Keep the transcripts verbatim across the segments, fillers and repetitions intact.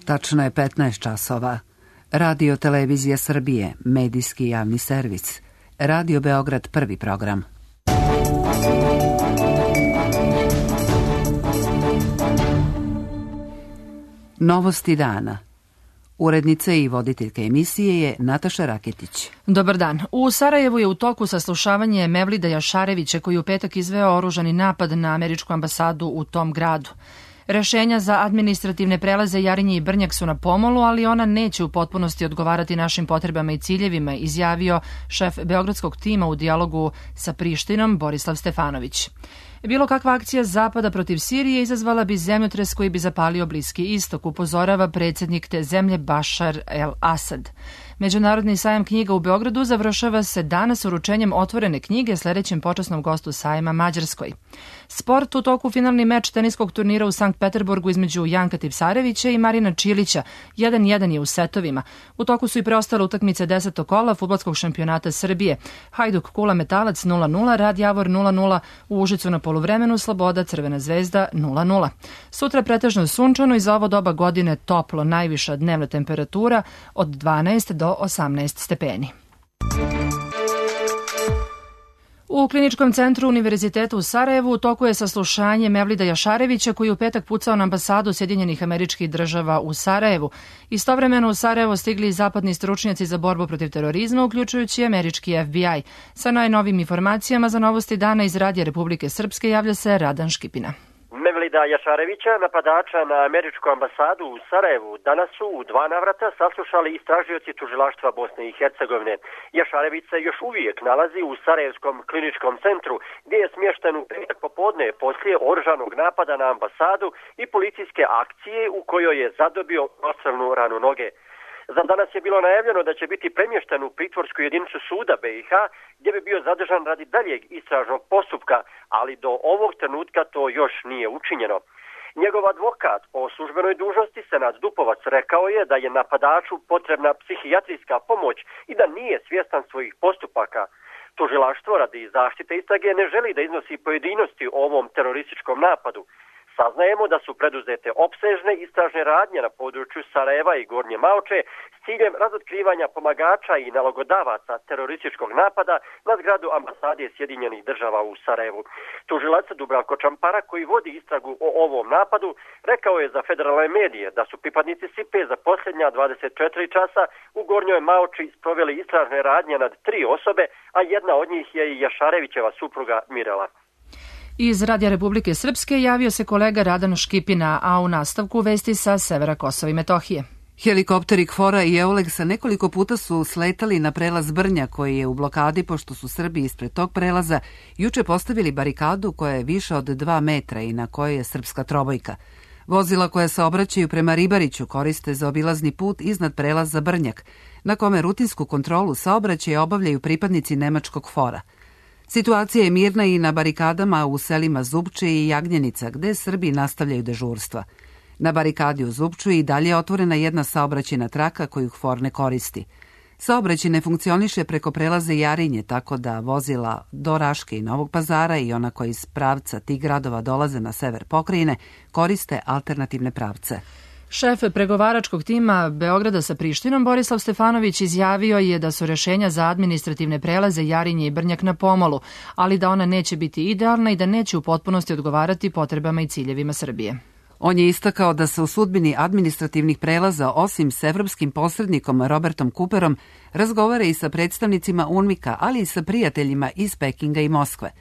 Tačno je petnaest časova. Radio Televizija Srbije, medijski javni servis. Radio Beograd, prvi program. Novosti dana. Urednica i voditeljka emisije je Nataša Raketić. Dobar dan. U Sarajevu je u toku saslušavanje Mevlida Jašarevića koji je u petak izveo oružani napad na američku ambasadu u tom gradu. Rešenja za administrativne prelaze Jarinje i Brnjak su na pomolu, ali ona neće u potpunosti odgovarati našim potrebama i ciljevima, izjavio šef beogradskog tima u dijalogu sa Prištinom Borislav Stefanović. Bilo kakva akcija Zapada protiv Sirije izazvala bi zemljotres koji bi zapalio Bliski istok, upozorava predsjednik te zemlje Bašar el-Asad. Međunarodni sajam knjiga u Beogradu završava se danas uručenjem otvorene knjige sledećem počasnom gostu sajma Mađarskoj. Sport, u toku finalni meč teniskog turnira u Sankt Peterburgu između Janka Tipsarevića i Marina Čilića. jedan jedan je u setovima. U toku su i preostale utakmice desetog kola fudbalskog šampionata Srbije. Hajduk Kula Metalac nula nula, Rad Javor nula nula, u Užicu na poluvremenu Sloboda Crvena zvezda nula nula. Sutra pretežno sunčano i za ovo doba godine toplo, najviša dnevna temperatura od dvanaest do osamnaest stepeni. U Kliničkom centru Univerziteta u Sarajevu u toku je saslušanje Mevlida Jašarevića koji je u petak pucao na ambasadu Sjedinjenih Američkih Država u Sarajevu. Istovremeno u Sarajevo stigli i zapadni stručnjaci za borbu protiv terorizma, uključujući američki F B I. Sa najnovim informacijama za Novosti dana iz Radija Republike Srpske javlja se Radan Škipina. Mevlida Jašarevića, napadača na američku ambasadu u Sarajevu, danas su u dva navrata saslušali istražioci tužilaštva Bosne i Hercegovine. Jašarević se još uvijek nalazi u Sarajevskom kliničkom centru, gdje je smješten u petak popodne poslije oružanog napada na ambasadu i policijske akcije u kojoj je zadobio ostrelnu ranu noge. Za danas je bilo najavljeno da će biti premješten u pritvorsku jedinicu suda B i H, gdje bi bio zadržan radi daljeg istražnog postupka, ali do ovog trenutka to još nije učinjeno. Njegov advokat po službenoj dužnosti Senad Dupovac rekao je da je napadaču potrebna psihijatrijska pomoć i da nije svjestan svojih postupaka. Tužilaštvo radi zaštite istrage ne želi da iznosi pojedinosti o ovom terorističkom napadu. Saznajemo da su preduzete opsežne istražne radnje na području Sarajeva i Gornje Maoče s ciljem razotkrivanja pomagača i nalogodavaca terorističkog napada na zgradu ambasade Sjedinjenih Država u Sarajevu. Tužilac Dubravko Čampara, koji vodi istragu o ovom napadu, rekao je za federalne medije da su pripadnici S I P-e za posljednja dvadeset četiri časa u Gornjoj Maoči sproveli istražne radnje nad tri osobe, a jedna od njih je i Jašarevićeva supruga Mirela. Iz Radija Republike Srpske javio se kolega Radan Škipina, a u nastavku vesti sa severa Kosova i Metohije. Helikopteri KFOR-a i EULEX-a nekoliko puta su sletali na prelaz Brnja koji je u blokadi pošto su Srbi ispred tog prelaza juče postavili barikadu koja je više od dva metra i na kojoj je srpska trobojka. Vozila koja se obraćaju prema Ribariću koriste za obilazni put iznad prelaza Brnjak, na kome rutinsku kontrolu saobraćaja obavljaju pripadnici nemačkog KFOR-a. Situacija je mirna i na barikadama u selima Zupče i Jagnjenica, gde Srbi nastavljaju dežurstva. Na barikadi u Zupču i dalje je otvorena jedna saobraćajna traka koju KFOR ne koristi. Saobraćaj ne funkcioniše preko prelaze Jarinje, tako da vozila do Raške i Novog Pazara i ona koji iz pravca tih gradova dolaze na sever pokrajine koriste alternativne pravce. Šef pregovaračkog tima Beograda sa Prištinom Borislav Stefanović izjavio je da su rešenja za administrativne prelaze Jarinje i Brnjak na pomolu, ali da ona neće biti idealna i da neće u potpunosti odgovarati potrebama i ciljevima Srbije. On je istakao da se u sudbini administrativnih prelaza, osim s evropskim posrednikom Robertom Cooperom, razgovara i sa predstavnicima UNMIK-a, ali i sa prijateljima iz Pekinga i Moskve.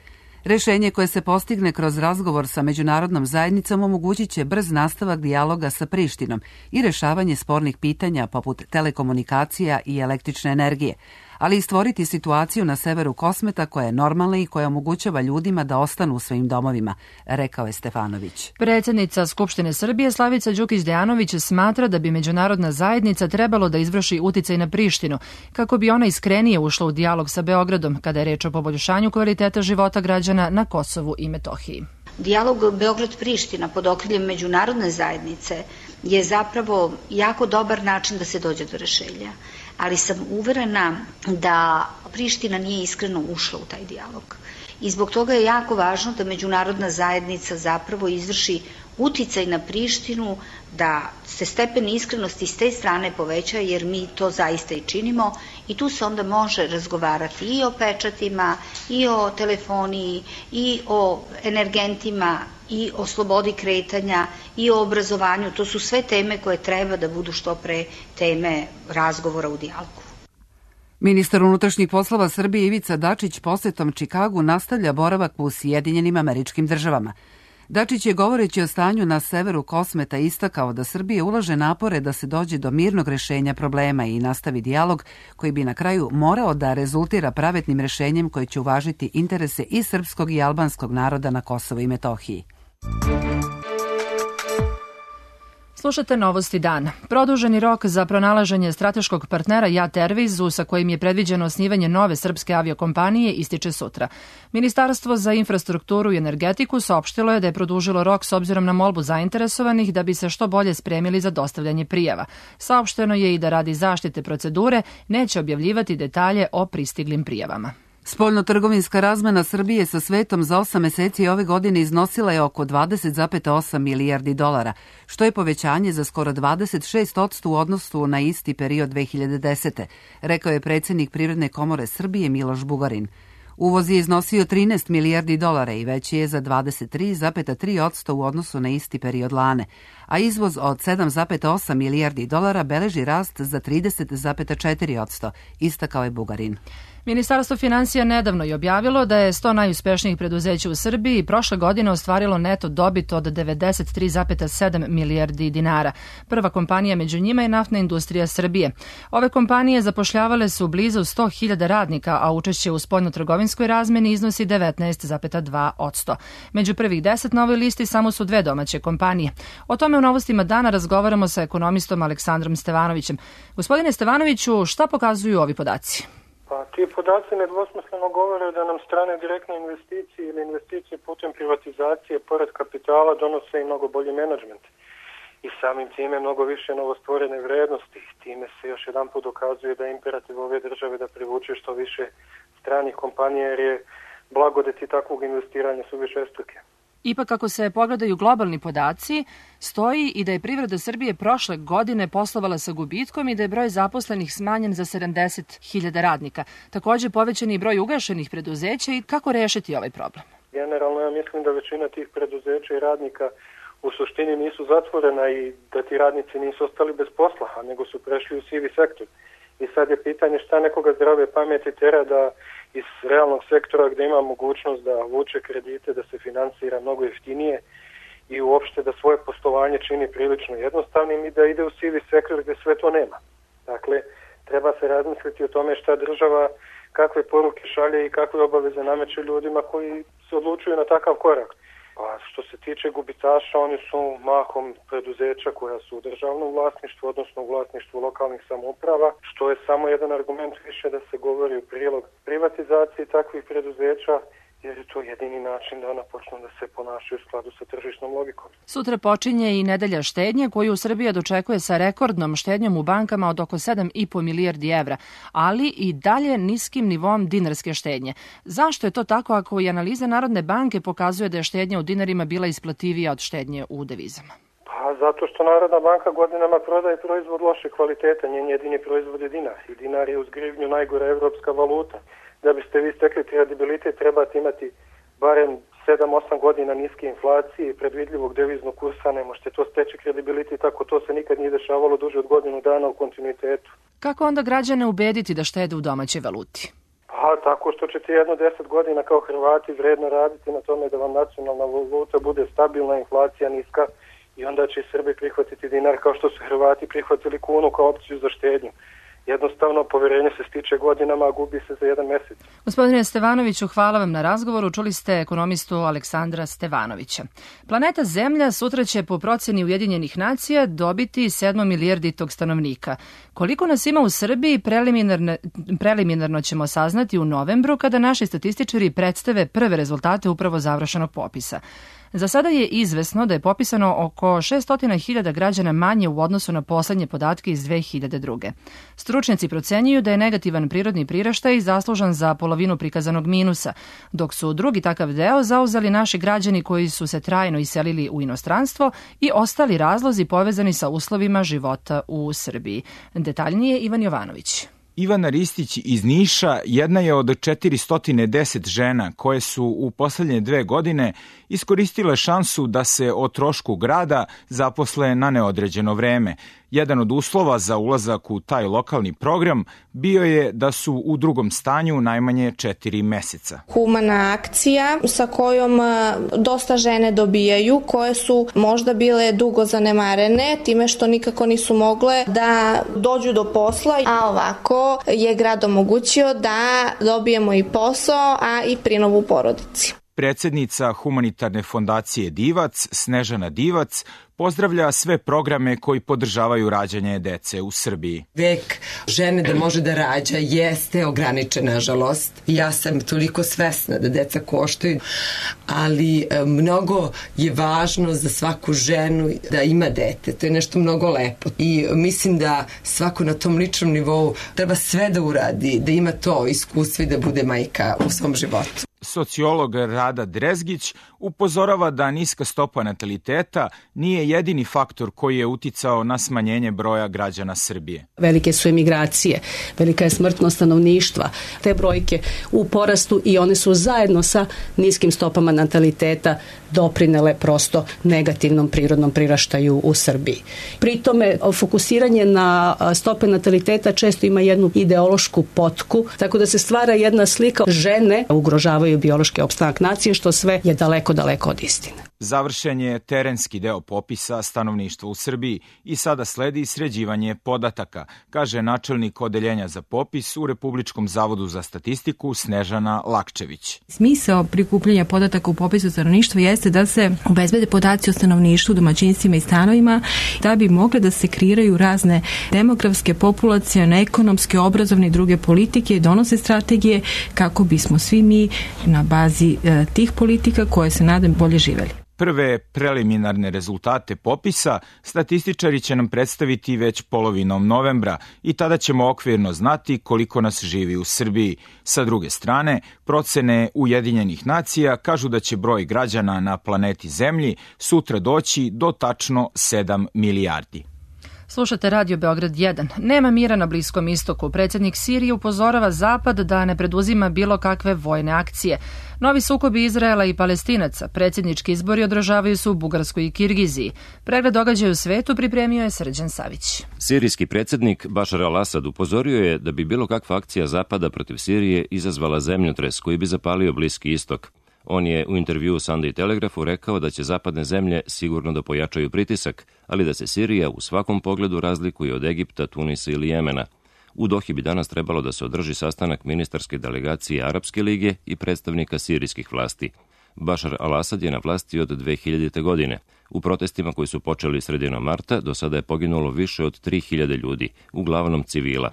Rešenje koje se postigne kroz razgovor sa međunarodnom zajednicom omogućit će brz nastavak dijaloga sa Prištinom i rešavanje spornih pitanja poput telekomunikacija i električne energije, ali i stvoriti situaciju na severu Kosmeta koja je normalna i koja omogućava ljudima da ostanu u svojim domovima, rekao je Stefanović. Predsjednica Skupštine Srbije Slavica Đukić-Dejanović smatra da bi međunarodna zajednica trebalo da izvrši uticaj na Prištinu, kako bi ona iskrenije ušla u dijalog sa Beogradom kada je reč o poboljšanju kvaliteta života građana na Kosovu i Metohiji. Dijalog Beograd-Priština pod okriljem međunarodne zajednice je zapravo jako dobar način da se dođe do rešenja. Ali sam uverena da Priština nije iskreno ušla u taj dijalog i zbog toga je jako važno da međunarodna zajednica zapravo izvrši uticaj na Prištinu, da se stepen iskrenosti s te strane poveća, jer mi to zaista i činimo i tu se onda može razgovarati i o pečatima, i o telefoniji, i o energentima, i o slobodi kretanja, i o obrazovanju. To su sve teme koje treba da budu što pre teme razgovora u dijalogu. Ministar unutrašnjih poslova Srbije Ivica Dačić posetom Čikagu nastavlja boravak u Sjedinjenim Američkim Državama. Dačić je, govoreći o stanju na severu Kosmeta, istakao da Srbija ulaže napore da se dođe do mirnog rešenja problema i nastavi dijalog koji bi na kraju morao da rezultira pravednim rešenjem koje će uvažiti interese i srpskog i albanskog naroda na Kosovu i Metohiji. Slušate Novosti dana. Produženi rok za pronalaženje strateškog partnera Jat Airwaysu, sa kojim je predviđeno osnivanje nove srpske aviokompanije, ističe sutra. Ministarstvo za infrastrukturu i energetiku saopštilo je da je produžilo rok s obzirom na molbu zainteresovanih da bi se što bolje spremili za dostavljanje prijava. Saopšteno je i da radi zaštite procedure neće objavljivati detalje o pristiglim prijavama. Spoljno-trgovinska razmena Srbije sa svetom za osam meseci ove godine iznosila je oko dvadeset zarez osam milijardi dolara, što je povećanje za skoro dvadeset šest posto u odnosu na isti period dve hiljade desete. Rekao je predsjednik Privredne komore Srbije Miloš Bugarin. Uvoz je iznosio trinaest milijardi dolara i veći je za dvadeset tri zarez tri posto u odnosu na isti period lane, a izvoz od sedam zarez osam milijardi dolara beleži rast za trideset zarez četiri posto, istakao je Bugarin. Ministarstvo finansija nedavno je objavilo da je sto najuspešnijih preduzeća u Srbiji prošle godine ostvarilo neto dobit od devedeset tri zarez sedam milijardi dinara. Prva kompanija među njima je Naftna industrija Srbije. Ove kompanije zapošljavale su blizu sto hiljada radnika, a učešće u spoljno-trgovinskoj razmeni iznosi devetnaest zarez dva posto. Među prvih deset na ovoj listi samo su dve domaće kompanije. O tome u Novostima dana razgovaramo sa ekonomistom Aleksandrom Stevanovićem. Gospodine Stevanoviću, šta pokazuju ovi podaci? Pa ti podaci nedvosmisleno govore da nam strane direktne investicije ili investicije putem privatizacije pored kapitala donose i mnogo bolji menadžment. I samim time mnogo više novostvorene vrednosti. Time se još jedan put dokazuje da je imperativ ove države da privuče što više stranih kompanija, jer je blagodeti takvog investiranja su višestruke. Ipak, ako se pogledaju globalni podaci, stoji i da je privreda Srbije prošle godine poslovala sa gubitkom i da je broj zaposlenih smanjen za sedamdeset hiljada radnika. Također povećan je broj ugašenih preduzeća i kako rešiti ovaj problem? Generalno ja mislim da većina tih preduzeća i radnika u suštini nisu zatvorena i da ti radnici nisu ostali bez posla, a nego su prešli u sivi sektor. I sad je pitanje šta nekoga zdrave pameti tera da iz realnog sektora gde ima mogućnost da vuče kredite, da se finansira mnogo jeftinije i uopšte da svoje poslovanje čini prilično jednostavnim i da ide u sivi sektor gde sve to nema. Dakle, treba se razmisliti o tome šta država, kakve poruke šalje i kakve obaveze nameće ljudima koji se odlučuju na takav korak. Pa što se tiče gubitaša, oni su mahom preduzeća koja su u državnom vlasništvu, odnosno u vlasništvu lokalnih samouprava, što je samo jedan argument više da se govori u prilog privatizaciji takvih preduzeća, jer je to jedini način da ona počne da se ponašaju u skladu sa tržišnom logikom. Sutra počinje i nedelja štednje koju Srbija dočekuje sa rekordnom štednjom u bankama od oko sedam i po milijardi evra, ali i dalje niskim nivom dinarske štednje. Zašto je to tako ako i analiza Narodne banke pokazuje da je štednja u dinarima bila isplativija od štednje u devizama? Pa zato što Narodna banka godinama prodaje proizvod loše kvaliteta, njen jedini proizvod je dinar i dinar je uz grivnju najgora evropska valuta. Da biste vi stekli kredibilitet, trebate imati barem sedam osam godina niske inflacije i predvidljivog deviznog kursa, ne možete to steći kredibilitet ako to se nikad nije dešavalo duže od godinu dana u kontinuitetu. Kako onda građane ubediti da štede u domaćoj valuti? Pa tako što ćete jedno deset godina kao Hrvati vredno raditi na tome da vam nacionalna valuta bude stabilna, inflacija niska i onda će Srbi prihvatiti dinar kao što su Hrvati prihvatili kunu kao opciju za štednju. Jednostavno, poverenje se stiče godinama, a gubi se za jedan mesec. Gospodine Stevanoviću, hvala vam na razgovoru. Čuli ste ekonomistu Aleksandra Stevanovića. Planeta Zemlja sutra će po proceni Ujedinjenih nacija dobiti sedmo milijarditog stanovnika. Koliko nas ima u Srbiji, preliminarno, preliminarno ćemo saznati u novembru kada naši statističari predstave prve rezultate upravo završenog popisa. Za sada je izvesno da je popisano oko šesto hiljada građana manje u odnosu na poslednje podatke iz dve hiljade druge. Stručnjaci procenjuju da je negativan prirodni priraštaj zaslužan za polovinu prikazanog minusa, dok su drugi takav deo zauzeli naši građani koji su se trajno iselili u inostranstvo i ostali razlozi povezani sa uslovima života u Srbiji. Detaljnije Ivan Jovanović. Ivana Ristić iz Niša jedna je od četiristo deset žena koje su u poslednje dve godine iskoristile šansu da se o trošku grada zaposle na neodređeno vreme. Jedan od uslova za ulazak u taj lokalni program bio je da su u drugom stanju najmanje četiri meseca. Humana akcija sa kojom dosta žene dobijaju, koje su možda bile dugo zanemarene time što nikako nisu mogle da dođu do posla, a ovako je grad omogućio da dobijemo i posao, a i prinovu u porodici. Predsednica humanitarne fondacije Divac, Snežana Divac, pozdravlja sve programe koji podržavaju rađanje dece u Srbiji. Vek žene da može da rađa jeste ograničen, nažalost. Ja sam toliko svesna da deca koštaju, ali mnogo je važno za svaku ženu da ima dete. To je nešto mnogo lepo. I mislim da svako na tom ličnom nivou treba sve da uradi, da ima to iskustvo i da bude majka u svom životu. Sociolog Rada Drezgić upozorava da niska stopa nataliteta nije jedini faktor koji je uticao na smanjenje broja građana Srbije. Velike su emigracije, velika je smrtnost stanovništva. Te brojke u porastu i one su zajedno sa niskim stopama nataliteta doprinele prosto negativnom prirodnom priraštaju u Srbiji. Pri tome, fokusiranje na stope nataliteta često ima jednu ideološku potku, tako da se stvara jedna slika žene ugrožavaju biološki opstanak nacije, što sve je daleko, daleko od istine. Završen je terenski deo popisa stanovništva u Srbiji i sada sledi sređivanje podataka, kaže načelnik odeljenja za popis u Republičkom zavodu za statistiku Snežana Lakčević. Smisao prikupljanja podataka u popisu stanovništva jeste da se obezbede podaci o stanovništvu, domaćinstvima i stanovima, da bi mogle da se kreiraju razne demografske, populacione, ekonomske, obrazovne i druge politike i donose strategije kako bismo svi mi na bazi e, tih politika koje se nadam bolje živeli. Prve preliminarne rezultate popisa statističari će nam predstaviti već polovinom novembra i tada ćemo okvirno znati koliko nas živi u Srbiji. Sa druge strane, procene Ujedinjenih nacija kažu da će broj građana na planeti Zemlji sutra doći do tačno sedam milijardi. Slušate Radio Beograd jedan. Nema mira na Bliskom istoku. Predsjednik Sirije upozorava Zapad da ne preduzima bilo kakve vojne akcije. Novi sukobi Izraela i Palestinaca, predsjednički izbori održavaju se u Bugarskoj i Kirgiziji. Pregled događaja u svetu pripremio je Srđan Savić. Sirijski predsjednik Bašar al-Asad upozorio je da bi bilo kakva akcija Zapada protiv Sirije izazvala zemljotres koji bi zapalio Bliski istok. On je u intervjuu Sunday Telegraphu rekao da će zapadne zemlje sigurno da pojačaju pritisak, ali da se Sirija u svakom pogledu razlikuje od Egipta, Tunisa ili Jemena. U Dohi bi danas trebalo da se održi sastanak ministarske delegacije Arapske lige i predstavnika sirijskih vlasti. Bašar al-Asad je na vlasti od dve hiljadite. godine. U protestima koji su počeli sredinom marta do sada je poginulo više od tri hiljade ljudi, uglavnom civila.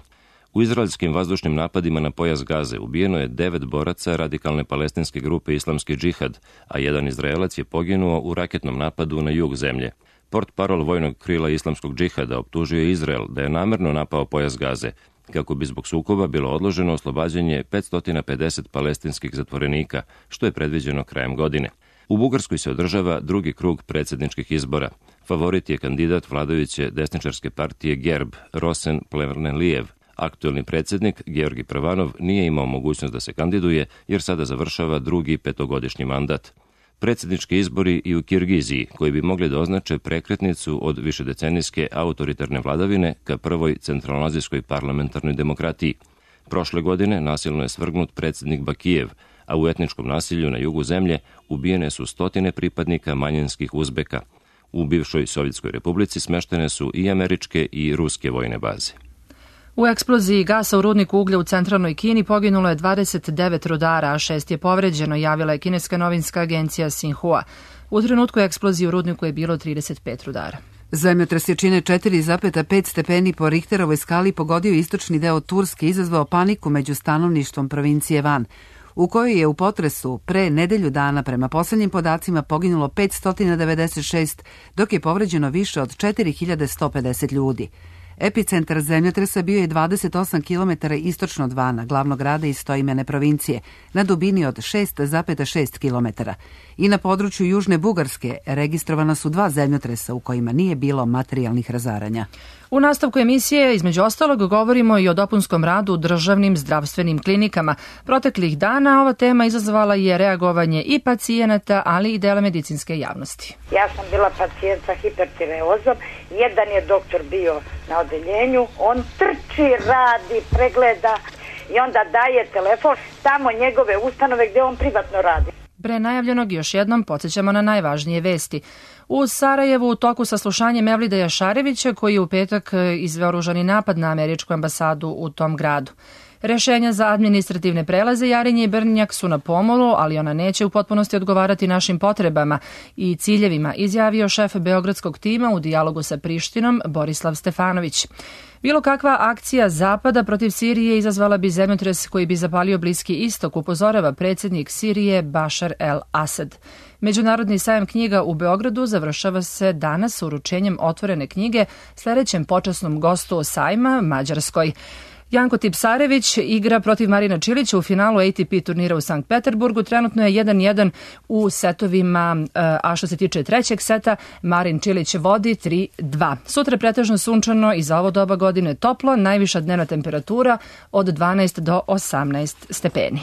U izraelskim vazdušnim napadima na pojas Gaze ubijeno je devet boraca radikalne palestinske grupe Islamski džihad, a jedan Izraelac je poginuo u raketnom napadu na jug zemlje. Portparol vojnog krila Islamskog džihada optužio je Izrael da je namerno napao pojas Gaze, kako bi zbog sukoba bilo odloženo oslobađanje petsto pedeset palestinskih zatvorenika, što je predviđeno krajem godine. U Bugarskoj se održava drugi krug predsjedničkih izbora. Favorit je kandidat vladajuće desničarske partije Gerb, Rosen Plevnelijev. Aktuelni predsjednik, Georgi Prvanov, nije imao mogućnost da se kandiduje jer sada završava drugi petogodišnji mandat. Predsjednički izbori i u Kirgiziji, koji bi mogli da označe prekretnicu od višedecenijske autoritarne vladavine ka prvoj centralnoazijskoj parlamentarnoj demokratiji. Prošle godine nasilno je svrgnut predsjednik Bakijev, a u etničkom nasilju na jugu zemlje ubijene su stotine pripadnika manjinskih Uzbeka. U bivšoj Sovjetskoj republici smeštene su i američke i ruske vojne baze. U eksploziji gasa u rudniku uglja u centralnoj Kini poginulo je dvadeset devet rudara, a šest je povređeno, javila je kineska novinska agencija Xinhua. U trenutku eksplozije u rudniku je bilo trideset pet rudara. Zemljotres jačine četiri zarez pet stepeni po Richterovoj skali pogodio istočni deo Turske i izazvao paniku među stanovništvom provincije Van. u kojoj je u potresu pre nedelju dana prema poslednjim podacima poginulo petsto devedeset šest, dok je povređeno više od četiri hiljade sto pedeset ljudi. Epicentar zemljotresa bio je dvadeset osam kilometara istočno od Vana, glavnog grada istoimene provincije, na dubini od šest zarez šest kilometara. I na području Južne Bugarske registrovana su dva zemljotresa u kojima nije bilo materijalnih razaranja. U nastavku emisije, između ostalog, govorimo i o dopunskom radu u državnim zdravstvenim klinikama. Proteklih dana ova tema izazvala je reagovanje i pacijenata, ali i dela medicinske javnosti. Ja sam bila pacijent sa hipertireozom, jedan je doktor bio na odeljenju, on trči, radi, pregleda i onda daje telefon tamo njegove ustanove gde on privatno radi. Pre najavljenog još jednom podsjećamo na najvažnije vesti. U Sarajevu u toku saslušanja Mevlida Jašarevića, koji je u petak izveo oružani napad na američku ambasadu u tom gradu. Rešenja za administrativne prelaze Jarinje i Brnjak su na pomolu, ali ona neće u potpunosti odgovarati našim potrebama i ciljevima, izjavio šef beogradskog tima u dijalogu sa Prištinom Borislav Stefanović. Bilo kakva akcija Zapada protiv Sirije izazvala bi zemljotres koji bi zapalio Bliski istok, upozorava predsjednik Sirije Bašar el-Asad. Međunarodni sajam knjiga u Beogradu završava se danas uručenjem otvorene knjige sledećem počasnom gostu sajma, Mađarskoj. Janko Tipsarević igra protiv Marina Čilića u finalu A T P turnira u Sankt Peterburgu. Trenutno je jedan jedan u setovima, a što se tiče trećeg seta, Marin Čilić vodi tri dva. Sutra je pretežno sunčano i za ovo doba godine toplo, najviša dnevna temperatura od dvanaest do osamnaest stepeni.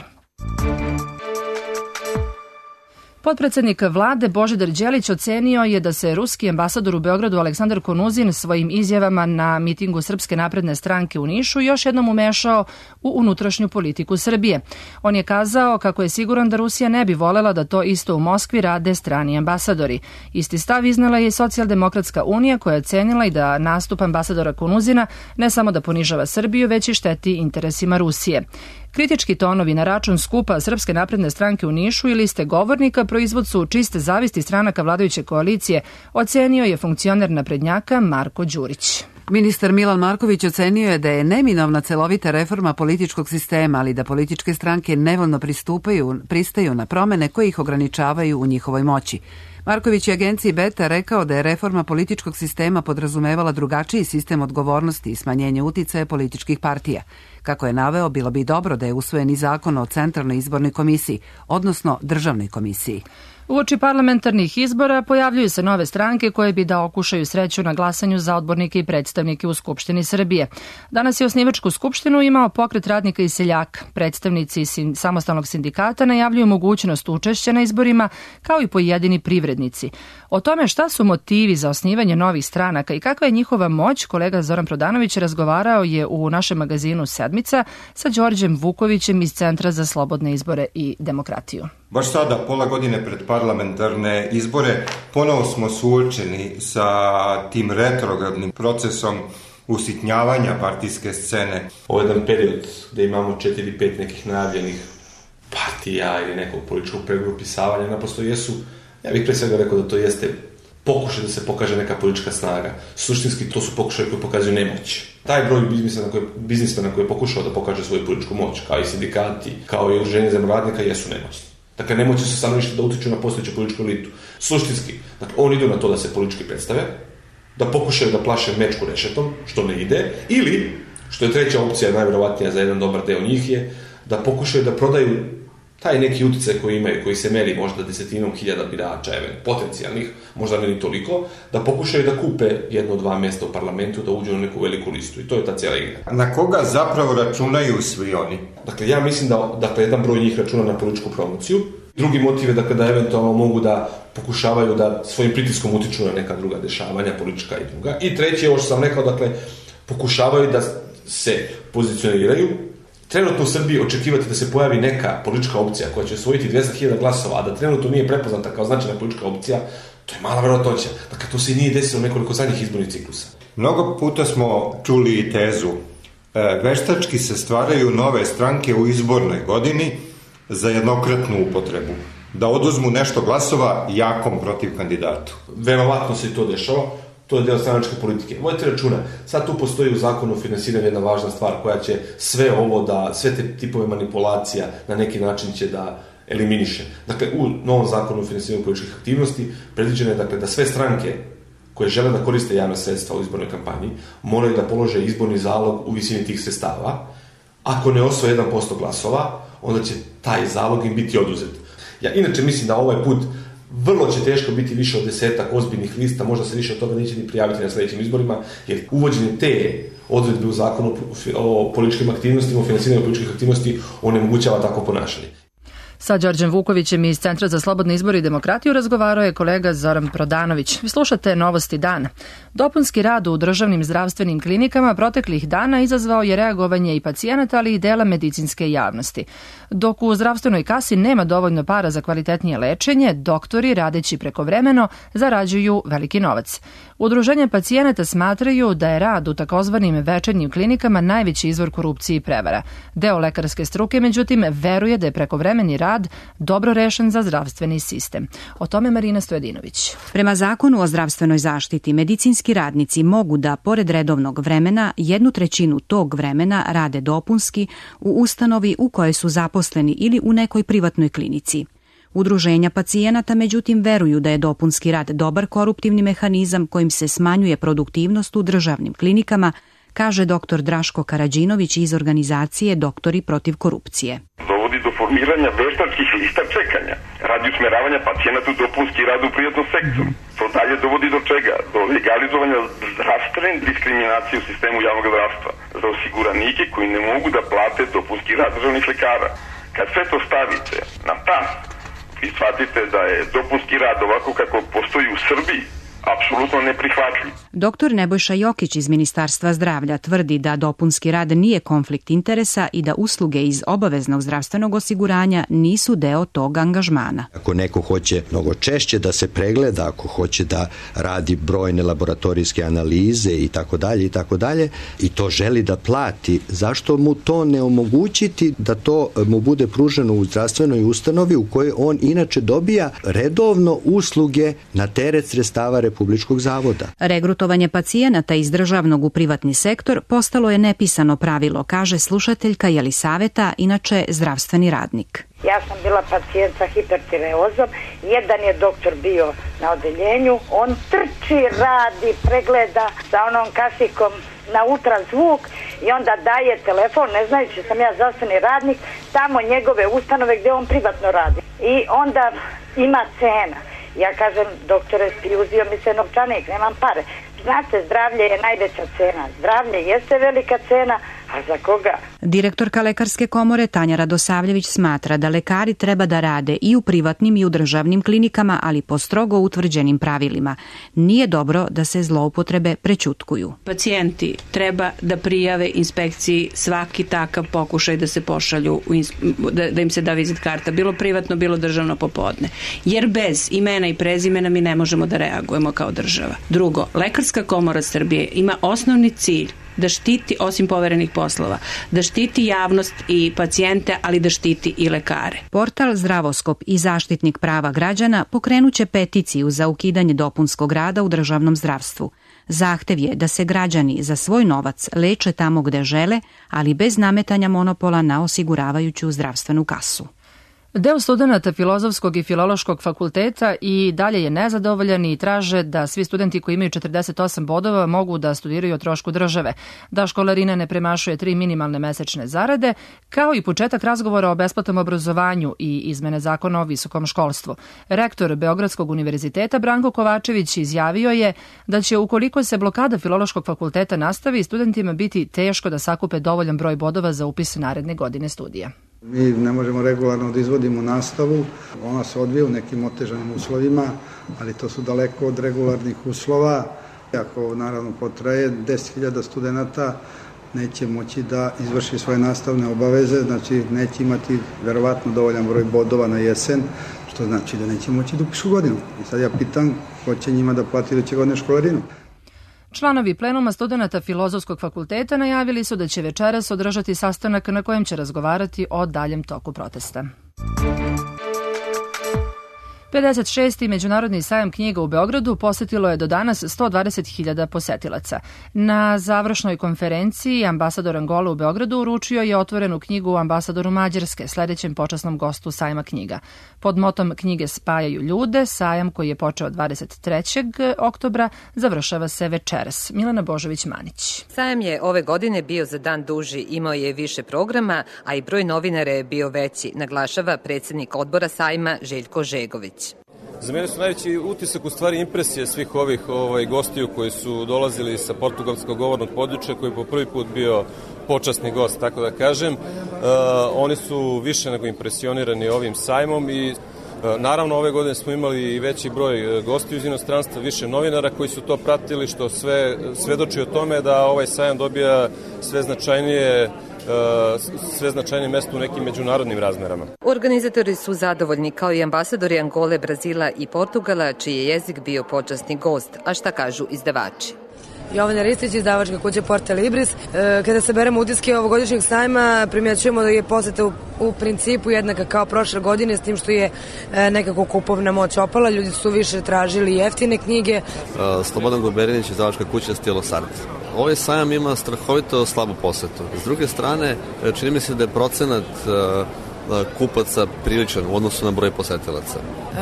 Potpredsednik vlade Božidar Đelić ocenio je da se ruski ambasador u Beogradu Aleksandar Konuzin svojim izjavama na mitingu Srpske napredne stranke u Nišu još jednom umešao u unutrašnju politiku Srbije. On je kazao kako je siguran da Rusija ne bi volela da to isto u Moskvi rade strani ambasadori. Isti stav iznala je i Socijaldemokratska unija koja je ocenila i da nastup ambasadora Konuzina ne samo da ponižava Srbiju, već i šteti interesima Rusije. Kritički tonovi na račun skupa Srpske napredne stranke u Nišu i liste govornika proizvod su čiste zavisti stranaka vladajuće koalicije, ocenio je funkcioner naprednjaka Marko Đurić. Ministar Milan Marković ocenio je da je neminovna celovita reforma političkog sistema, ali da političke stranke nevoljno pristupaju, pristaju na promene koje ih ograničavaju u njihovoj moći. Marković je agenciji Beta rekao da je reforma političkog sistema podrazumevala drugačiji sistem odgovornosti i smanjenje uticaja političkih partija. Kako je naveo, bilo bi dobro da je usvojen i zakon o Centralnoj izbornoj komisiji, odnosno Državnoj komisiji. Uoči parlamentarnih izbora pojavljuju se nove stranke koje bi da okušaju sreću na glasanju za odbornike i predstavnike u Skupštini Srbije. Danas je osnivačku skupštinu imao Pokret radnika i seljaka. Predstavnici sin, samostalnog sindikata najavljuju mogućnost učešća na izborima, kao i pojedini privrednici. O tome šta su motivi za osnivanje novih stranaka i kakva je njihova moć, kolega Zoran Prodanović razgovarao je u našem magazinu Sedmica sa Đorđem Vukovićem iz Centra za slobodne izbore i demokratiju. Baš sada, pola godine pred parlamentarne izbore, ponovo smo suočeni sa tim retrogradnim procesom usitnjavanja partijske scene. Ovo je jedan period gde imamo četiri pet nekih najavljenih partija ili nekog političkog pregrupisavanja, naprosto jesu, ja bih pre svega rekao da to jeste pokušaj da se pokaže neka politička snaga. Suštinski to su pokušaje koji pokazuju nemoć. Taj broj biznismena koji je pokušao da pokaže svoju političku moć, kao i sindikati, kao i udruženje zemljoradnika, jesu nemoćni. Dakle, nemoći su stanovništva da utiču na postojeću političku elitu. Suštinski, dakle, oni idu na to da se politički predstave, da pokušaju da plaše mečku rešetom, što ne ide, ili, što je treća opcija, najverovatnija za jedan dobar deo njih je, da pokušaju da prodaju taj neki uticaj koji imaju, koji se meri možda desetinom hiljada birača, potencijalnih, možda ne ni toliko, da pokušaju da kupe jedno, dva mjesta u parlamentu, da uđu na neku veliku listu. I to je ta cijela igra. Na koga zapravo računaju svi oni? Dakle, ja mislim da dakle, jedan broj njih računa na političku promociju. Drugi motiv je dakle, da eventualno mogu da pokušavaju da svojim pritiskom utiču na neka druga dešavanja, politička i druga. I treći je, ovo što sam rekao, dakle, pokušavaju da se pozicioniraju. Trenutno u Srbiji očekivati da se pojavi neka politička opcija koja će osvojiti dvesta hiljada glasova, a da trenutno nije prepoznata kao značajna politička opcija, to je mala verovatnoća. Dakle, to se i nije desilo nekoliko zadnjih izbornih ciklusa. Mnogo puta smo čuli i tezu. E, veštački se stvaraju nove stranke u izbornoj godini za jednokratnu upotrebu. Da oduzmu nešto glasova jakom protiv kandidatu. Verovatno se i to dešava. To to je deo stranačke politike. Vodite računa, sad tu postoji u zakonu o finansiranju jedna važna stvar koja će sve ovo da, sve te tipove manipulacija na neki način će da eliminiše. Dakle, u novom zakonu o finansiranju političkih aktivnosti predviđeno je dakle, da sve stranke koje žele da koriste javne sredstva u izbornoj kampanji moraju da polože izborni zalog u visini tih sredstava. Ako ne osvoje jedan posto glasova, onda će taj zalog im biti oduzet. Ja inače mislim da ovaj put vrlo će teško biti više od desetak ozbiljnih lista, možda se više od toga neće ni prijaviti na sljedećim izborima, jer uvođenje te odredbe u zakonu o političkim aktivnostima, o finansiranju političkih aktivnosti, onemogućava tako ponašanje. Sa Đorđem Vukovićem iz Centra za slobodne izbore i demokratiju razgovarao je kolega Zoran Prodanović. Vi slušate Novosti dana. Dopunski rad u državnim zdravstvenim klinikama proteklih dana izazvao je reagovanje i pacijenata, ali i dela medicinske javnosti. Dok u zdravstvenoj kasi nema dovoljno para za kvalitetnije lečenje, doktori, radeći prekovremeno, zarađuju veliki novac. Udruženja pacijenata smatraju da je rad u takozvanim večernjim klinikama najveći izvor korupcije i prevara. Deo lekarske struke, međutim, veruje da je prekovremeni rad dobro rešen za zdravstveni sistem. O tome Marina Stojadinović. Prema zakonu o zdravstvenoj zaštiti, medicinski radnici mogu da, pored redovnog vremena, jednu trećinu tog vremena rade dopunski u ustanovi u kojoj su zaposleni ili u nekoj privatnoj klinici. Udruženja pacijenata, međutim, veruju da je dopunski rad dobar koruptivni mehanizam kojim se smanjuje produktivnost u državnim klinikama, kaže doktor Draško Karađinović iz organizacije Doktori protiv korupcije. Dovodi do formiranja veštačkih lista čekanja, radi usmeravanja pacijenata u dopunski rad u privatnom sektoru. To dalje dovodi do čega? Do legalizovanja zdravstvene diskriminacije u sistemu javnog zdravstva za osiguranike koji ne mogu da plate dopunski rad državnih lekara. Kad sve to stavite na tas i shvatite da je dopunski rad ovako kako postoji u Srbiji apsolutno neprihvatljiv. Doktor Nebojša Jokić iz Ministarstva zdravlja tvrdi da dopunski rad nije konflikt interesa i da usluge iz obaveznog zdravstvenog osiguranja nisu deo tog angažmana. Ako neko hoće mnogo češće da se pregleda, ako hoće da radi brojne laboratorijske analize i tako dalje i tako dalje i to želi da plati, zašto mu to ne omogućiti da to mu bude pruženo u zdravstvenoj ustanovi u kojoj on inače dobija redovno usluge na teret sredstava Republičkog zavoda. Regrutovanje pacijenata iz državnog u privatni sektor postalo je nepisano pravilo, kaže slušateljka Jelisaveta, inače zdravstveni radnik. Ja sam bila pacijent sa hipertireozom, jedan je doktor bio na odeljenju, on trči, radi, pregleda sa onom kasikom na ultrazvuk i onda daje telefon, ne znajući sam ja zdravstveni radnik, tamo njegove ustanove gdje on privatno radi. I onda ima cena. Ja kažem, doktore, uzio mi se novčanik, nemam pare. Znate, zdravlje je najveća cena. Zdravlje jeste velika cena, a za koga? Direktorka Lekarske komore Tanja Radosavljević smatra da lekari treba da rade i u privatnim i u državnim klinikama, ali po strogo utvrđenim pravilima. Nije dobro da se zloupotrebe prećutkuju. Pacijenti treba da prijave inspekciji svaki takav pokušaj da se pošalju, da, da im se da vizit karta, bilo privatno, bilo državno popodne. Jer bez imena i prezimena mi ne možemo da reagujemo kao država. Drugo, Lekarska komora Srbije ima osnovni cilj da štiti, osim poverenih poslova, da štiti javnost i pacijente, ali da štiti i lekare. Portal Zdravoskop i Zaštitnik prava građana pokrenuće peticiju za ukidanje dopunskog rada u državnom zdravstvu. Zahtev je da se građani za svoj novac leče tamo gde žele, ali bez nametanja monopola na osiguravajuću zdravstvenu kasu. Deo studenata Filozofskog i Filološkog fakulteta i dalje je nezadovoljan i traže da svi studenti koji imaju četrdeset osam bodova mogu da studiraju o trošku države, da školarina ne premašuje tri minimalne mesečne zarade, kao i početak razgovora o besplatnom obrazovanju i izmene zakona o visokom školstvu. Rektor Beogradskog univerziteta Branko Kovačević izjavio je da će, ukoliko se blokada Filološkog fakulteta nastavi, studentima biti teško da sakupe dovoljan broj bodova za upis naredne godine studija. Mi ne možemo regularno da izvodimo nastavu, ona se odvija u nekim otežanim uslovima, ali to su daleko od regularnih uslova. Ako naravno potraje deset hiljada studenta, neće moći da izvrši svoje nastavne obaveze, znači neće imati verovatno dovoljan broj bodova na jesen, što znači da neće moći da upišu godinu. I sad ja pitam ko će njima da plati iduće godine školarinu. Članovi plenuma studenata Filozofskog fakulteta najavili su da će večeras održati sastanak na kojem će razgovarati o daljem toku protesta. pedeset šesti. Međunarodni sajam knjiga u Beogradu posetilo je do danas sto dvadeset hiljada posetilaca. Na završnoj konferenciji ambasador Angole u Beogradu uručio je otvorenu knjigu ambasadoru Mađarske, sledećem počasnom gostu sajma knjiga. Pod motom knjige Spajaju ljude, sajam koji je počeo dvadeset trećeg oktobra završava se večeras. Milena Božović-Manić. Sajam je ove godine bio za dan duži, imao je više programa, a i broj novinara je bio veći, naglašava predsjednik odbora sajma Željko Žegović. Za mene su najveći utisak u stvari impresije svih ovih ovaj, gostiju koji su dolazili sa portugalskog govornog područja, koji je po prvi put bio počasni gost, tako da kažem. Uh, oni su više nego impresionirani ovim sajmom i uh, naravno ove godine smo imali i veći broj gostiju iz inostranstva, više novinara koji su to pratili, što sve svedoči o tome da ovaj sajam dobija sve značajnije sve značajnije mesto u nekim međunarodnim razmerama. Organizatori su zadovoljni, kao i ambasadori Angole, Brazila i Portugala, čiji je jezik bio počasni gost. A šta kažu izdavači? Jovana Ristić, izdavačka kuća Porta Libris. Kada se beremo utiske ovogodišnjeg sajma, primjećujemo da je poseta u, u principu jednaka kao prošle godine, s tim što je nekako kupovna moć opala. Ljudi su više tražili jeftine knjige. Slobodan Goberinić, izdavačka kuća Stilo Sart. Ovaj sajam ima strahovito slabu posetu. S druge strane, čini mi se da je procenat kupaca priličan u odnosu na broj posetilaca.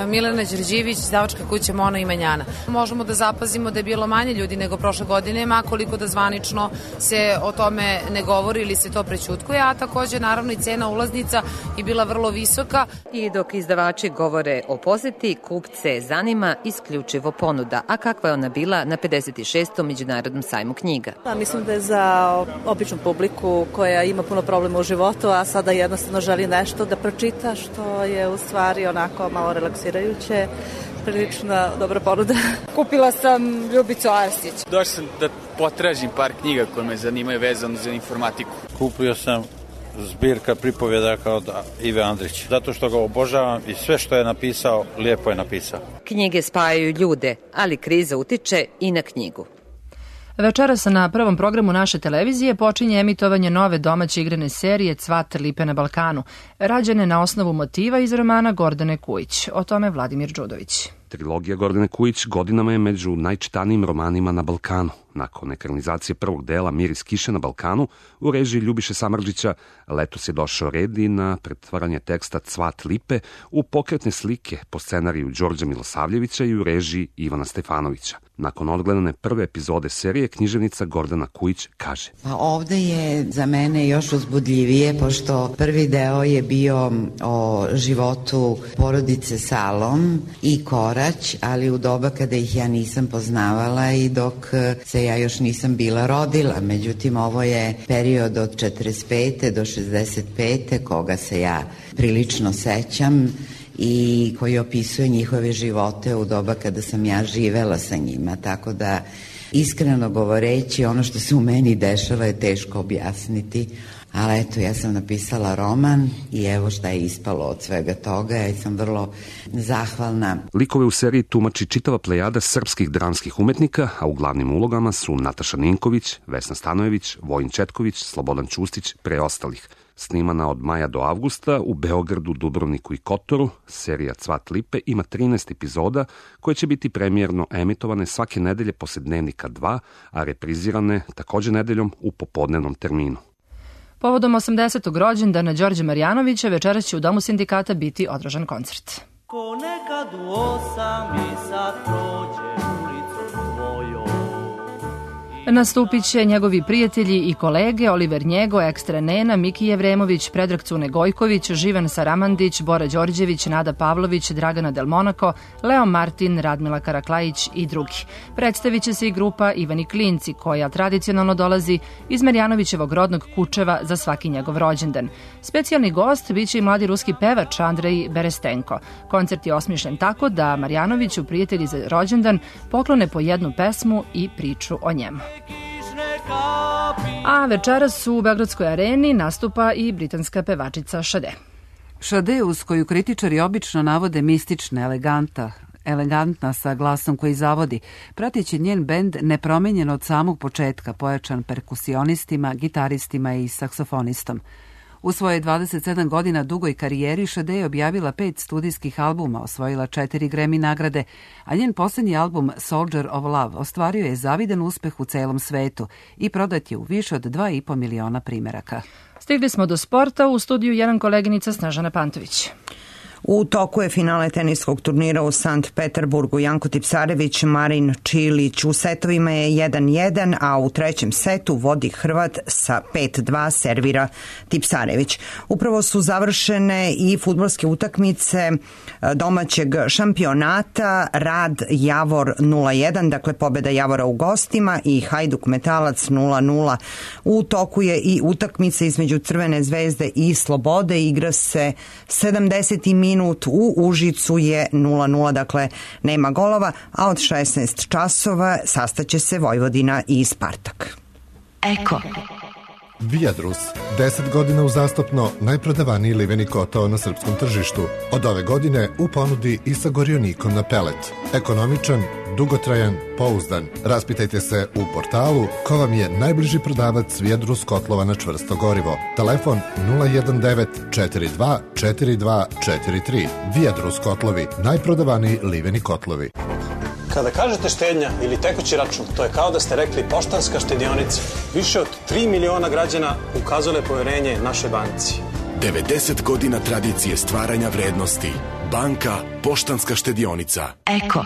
Milena Đorđević, izdavačka kuća Mona i Manjana. Možemo da zapazimo da je bilo manje ljudi nego prošle godine, makoliko da zvanično se o tome ne govori ili se to prećutkuje, a takođe naravno i cena ulaznica je bila vrlo visoka. I dok izdavači govore o poseti, kupce zanima isključivo ponuda. A kakva je ona bila na pedeset šestom Međunarodnom sajmu knjiga? Da, mislim da je za običnu publiku koja ima puno problema u životu, a sada jednostavno želi nešto da pročita, što je u stvari onako malo relaksirajuće, prilično dobra ponuda. Kupila sam Ljubicu Arsić. Došao sam da potražim par knjiga koje me zanimaju vezano za informatiku. Kupio sam zbirka pripovjedaka od Ive Andrića, zato što ga obožavam i sve što je napisao, lijepo je napisao. Knjige spajaju ljude, ali kriza utiče i na knjigu. Večeras na prvom programu naše televizije počinje emitovanje nove domaće igrane serije Cvat lipe na Balkanu, rađene na osnovu motiva iz romana Gordane Kujić. O tome Vladimir Đudović. Trilogija Gordane Kujić godinama je među najčitanijim romanima na Balkanu. Nakon ekranizacije prvog dela Miris kiše na Balkanu u režiji Ljubiše Samardžića, letos je došao red i na pretvaranje teksta Cvat lipe u pokretne slike po scenariju Đorđa Milosavljevića i u režiji Ivana Stefanovića. Nakon odgledane prve epizode serije, književnica Gordana Kujić kaže: Pa ovde je za mene još uzbudljivije, pošto prvi deo je bio o životu porodice Salom i Korać, ali u doba kada ih ja nisam poznavala i dok se ja još nisam bila rodila. Međutim, ovo je period od četrdeset pete do šezdeset pete koga se ja prilično sećam i koji opisuje njihove živote u doba kada sam ja živela sa njima, tako da iskreno govoreći ono što se u meni dešava je teško objasniti, ali eto, ja sam napisala roman i evo šta je ispalo od svega toga, ja sam vrlo zahvalna. Likove u seriji tumači čitava plejada srpskih dramskih umetnika, a u glavnim ulogama su Nataša Ninković, Vesna Stanojević, Vojin Četković, Slobodan Čustić, pre ostalih. Snimana od maja do avgusta u Beogradu, Dubrovniku i Kotoru, serija Cvat lipe ima trinaest epizoda koje će biti premijerno emitovane svake nedelje posle Dnevnika dva, a reprizirane takođe nedeljom u popodnevnom terminu. Povodom osamdesetog rođendana Đorđa Marjanovića večeras će u Domu sindikata biti održan koncert. Ponekad u osam i sad prođe ulicom tvojom. Nastupit će njegovi prijatelji i kolege Oliver Njego, Ekstra Nena, Miki Jevremović, Predrag Cune Gojković, Živan Saramandić, Bora Đorđević, Nada Pavlović, Dragana Del Monaco, Leo Martin, Radmila Karaklajić i drugi. Predstavit će se i grupa Ivani Klinci, koja tradicionalno dolazi iz Marjanovićevog rodnog Kučeva za svaki njegov rođendan. Specijalni gost biće i mladi ruski pevač Andrej Berestenko. Koncert je osmišljen tako da Marjanoviću prijatelji za rođendan poklone po jednu pesmu i priču o njemu. A večeras u Beogradskoj areni nastupa i britanska pevačica Sade. Sade, uz koju kritičari obično navode mistična, eleganta, elegantna sa glasom koji zavodi, pratiće njen bend nepromenjen od samog početka, pojačan perkusionistima, gitaristima i saksofonistom. U svoje dvadeset sedam godina dugoj karijeri Sade je objavila pet studijskih albuma, osvojila četiri Grammy nagrade, a njen posljednji album Soldier of Love ostvario je zavidan uspeh u celom svetu i prodat je u više od dva i po miliona primeraka. Stigli smo do sporta, u studiju jedan koleginica Snežana Pantović. U toku je finale teniskog turnira u Sankt Peterburgu. Janko Tipsarević, Marin Čilić u setovima je jedan jedan, a u trećem setu vodi Hrvat sa pet dva, servira Tipsarević. Upravo su završene i fudbalske utakmice domaćeg šampionata, Rad Javor nula jedan, dakle pobjeda Javora u gostima, i Hajduk Metalac nula nula. U toku je i utakmica između Crvene zvezde i Slobode, igra se sedamdeseti minut, u Užicu je nula nula, dakle nema golova, a od šesnaest časova sastaće se Vojvodina i Spartak. Eko. Viadrus, deset godina uzastopno najprodavaniji liveni kotao na srpskom tržištu. Od ove godine u ponudi i sa gorionikom na pelet. Ekonomičan, dugotrajan, pouzdan. Raspitajte se u portalu ko vam je najbliži prodavac Viadrus kotlova na čvrsto gorivo. Telefon nula jedan devet četiri dva četiri dva četiri tri. Viadrus kotlovi, najprodavaniji liveni kotlovi. Kada kažete štednja ili tekući račun, to je kao da ste rekli Poštanska štedionica. Više od tri miliona građana ukazalo je poverenje našoj banci. devedeset godina tradicije stvaranja vrednosti. Banka Poštanska štedionica. Eko.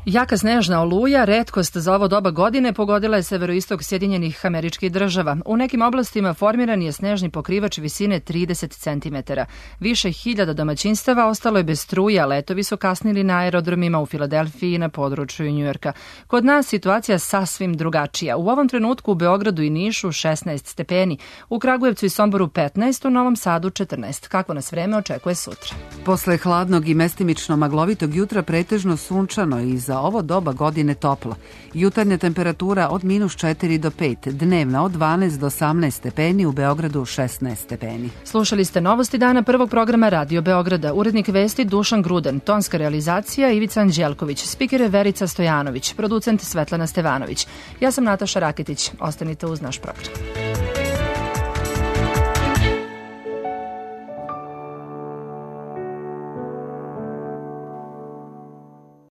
Jaka snežna oluja, retkost za ovo doba godine, pogodila je severoistok Sjedinjenih Američkih Država. U nekim oblastima formiran je snežni pokrivač visine trideset centimetara. Više hiljada domaćinstava ostalo je bez struje, a letovi su kasnili na aerodromima u Filadelfiji i na području Njujorka. Kod nas situacija sasvim drugačija. U ovom trenutku u Beogradu i Nišu šesnaest stepeni, u Kragujevcu i Somboru petnaest, u Novom Sadu četrnaest. Kako nas vreme očekuje sutra? Posle hladnog i mestimično maglovitog jutra pretežno sunčano i za ovo doba godine toplo. Jutarnja temperatura od minus četiri do pet, dnevna od dvanaest do osamnaest stepeni, u Beogradu šesnaest stepeni. Slušali ste novosti dana prvog programa Radio Beograda. Urednik vesti Dušan Gruden, tonska realizacija Ivica Anđelković, spiker je Verica Stojanović, producent Svetlana Stevanović. Ja sam Nataša Raketić. Ostanite uz naš program.